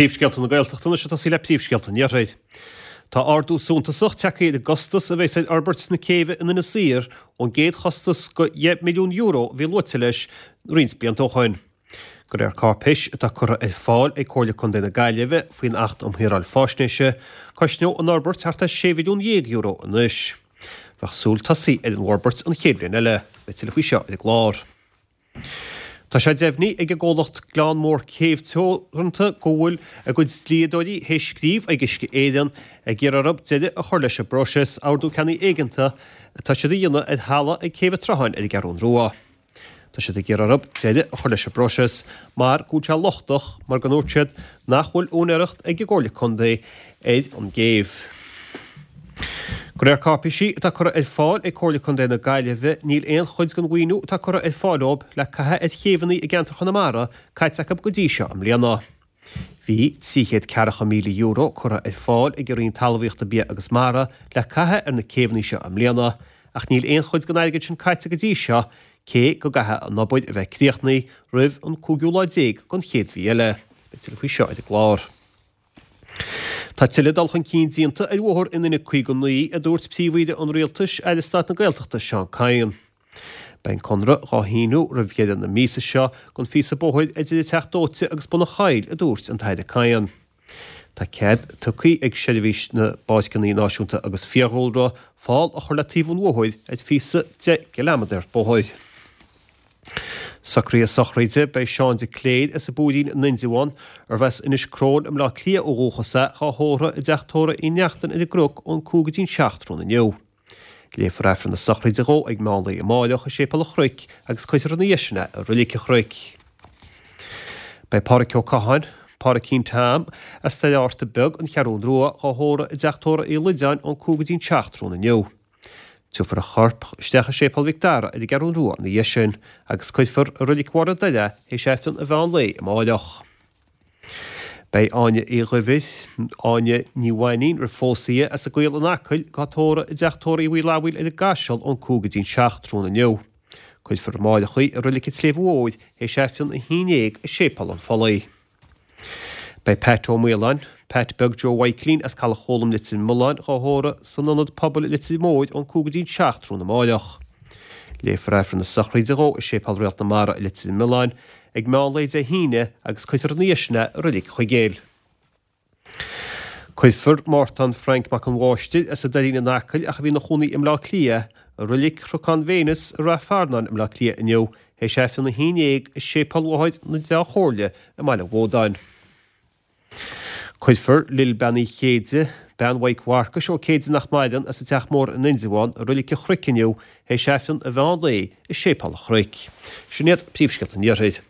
Príomhscéalta na Gaeltachta anois ag tosaí le príomhscéalta an Iarthair. Tá ardú suntasach tagtha ar an gcostas a bheas ar fhorbairt na céibhe in Inis Oírr ón gcéad chostas de €10 milliún a bhí luaite leis roinnt blianta ó shoin. De réir cáipéis atá curtha ar fáil ag Comhairle Contae na Gaillimhe faoin Acht um Shaoráil Faisnéise, cosnóidh an fhorbairt thart ar €16 mhilliún anois. Bheadh súil tosaigh ar an bhforbairt an chéad bhliain eile. Beidh tuilleadh faoi seo ar an gclár. Tá sé deimhnithe ag an gcomhlacht Gleann Mór Céibh Teoranta go bhfuil a gcuid dlíodóirí théis scríobh ag Uisce Éireann ag iarraidh orthu deireadh a chur leis an bpróiseas Ordú Ceannaigh Éigeantaigh atá siad a dhéanamh ar thalamh ag Céibh an tSrutháin ar an gCeathrún Rua. Tá siad ag iarraidh orthu deireadh a chur leis an bpróiseas mar go bhfuil sé lochtach mar go ndúirt siad nach bhfuil úinéireacht ag an gComhairle Contae ar an gcéibh. De réir cáipéisí atá curtha ar fáil ag Comhairle Contae na Gaillimhe, níl aon chuid den mhaoiniú atá curtha ar fáil dóibh le caitheamh ar chéibheanna i gceantar Chonamara caite acu go dtí seo i mbliana. Bhí €340,000 curtha ar fáil ag an Roinn Talmhaíochta, Bia agus Mara le caitheamh ar na céibheanna seo i mbliana, ach níl aon chuid den airgead sin caite go dtí seo, cé go gcaithfidh an obair a bheith críochnaithe roimh an cúigiú lá déag den chéad mhí eile. Beidh tuilleadh faoi seo ar an gclár. Tá tuilleadh dul chun cinn déanta ar bhóthar an N59, a dúirt Príomh-Aoire an Rialtais, Aire Stáit na Gaeltachta Seán Kyne. Beidh an conradh dhá shíniú roimh dheireadh na míosa seo don phíosa bóthair idir an Teach Dóite agus Bun an Choill, a dúirt an tAire Kyne. Tá cead tugtha ag Seirbhís na bPáirceanna Náisiúnta agus Fiadhúlra fál a chur le taobh an bhóthair ar phíosa 10 gciliméadar bóthair. Socruithe sochraide, Beidh Seán de Cléir as an bPúirín in Indreabhán, arbh as Inis Cromhail i mBleá Cliath ó dhúchas é, dhá thórramh i dteach tórraimh Uí Neachtain ar an gCnoc ón 5 go dtí'n 7 tráthnóna inniu. Léifear Aifreann na sochraide dhó ag meán lae amáireach i Séipéal an Chnoic agus cuirfear ina dhiaidh sin é i Roilig an Chnoic. Beidh Pádhraic Ó Catháin, Pádraicín Tom, as Doire Fhátharta Beag, An Cheathrún Rua, dhá thórramh i dteach tórraimh Uí Loideáin ón 5 go dtí'n 7 tráthnóna inniu. Tiubharfar a chorp isteach i Séipéal Mhic Dara ar an gCeathrún Rua ina dhiaidh sin agus cuirfear i Roilig Mháire Doire é théis Aifreann an mheán lae amáireach. Beidh Áine Uí Dhuibhir, Áine Ní Mhainín roimh phósadh di, as an gCaol in Acaill, dhá tórramh i dteach tórraimh Uí Fhlathbhail ar an gCaiseal ón 5 go dtí'n 7 tráthnóna inniu. Cuirfear amáireach í i Roilig an tSléibhe Mhóir théis Aifreann a 11 i Séipéal an Phollaigh. Beidh Pat Ó Maoláin, Pat Beag Joe Mhaidhcilín as Caladh Chóilm Leitir Mealláin dhá thórramh san Ionad Pobail i Leitir Móir ón 5 go dtí'n 7 tráthnóna amáireach. Léifear Aifreann na sochraide dhó i Séipéal Réalt na Mara i Leitir Mealláin ag meán lae Dé hAoine agus cuirfear ina dhiaidh sin é i Roilig Chuigéil. Cuirfear Mártan Frank Mac an Mháistir as an Doirín in Acaill ach a bhí ina chónaí i mBleá Cliath, i Roilig Chnocán Véineas i Rath Fearnáin i mBleá Cliath inniu théis Aifreann a 11 i Séipéal Mháthair na Dá Chomhairle i mBaile Bhódáin. Cuirfear Lil Bean Uí Chéide, bean Mhaidhc Mharcais Ó Céide nach maireann, as an Teach Mór in Indreabhán i Roilig an Chnoic inniu théis Aifreann an mheán lae i Séipéal an Chnoic. Sin iad príomhscéalta an Iarthair.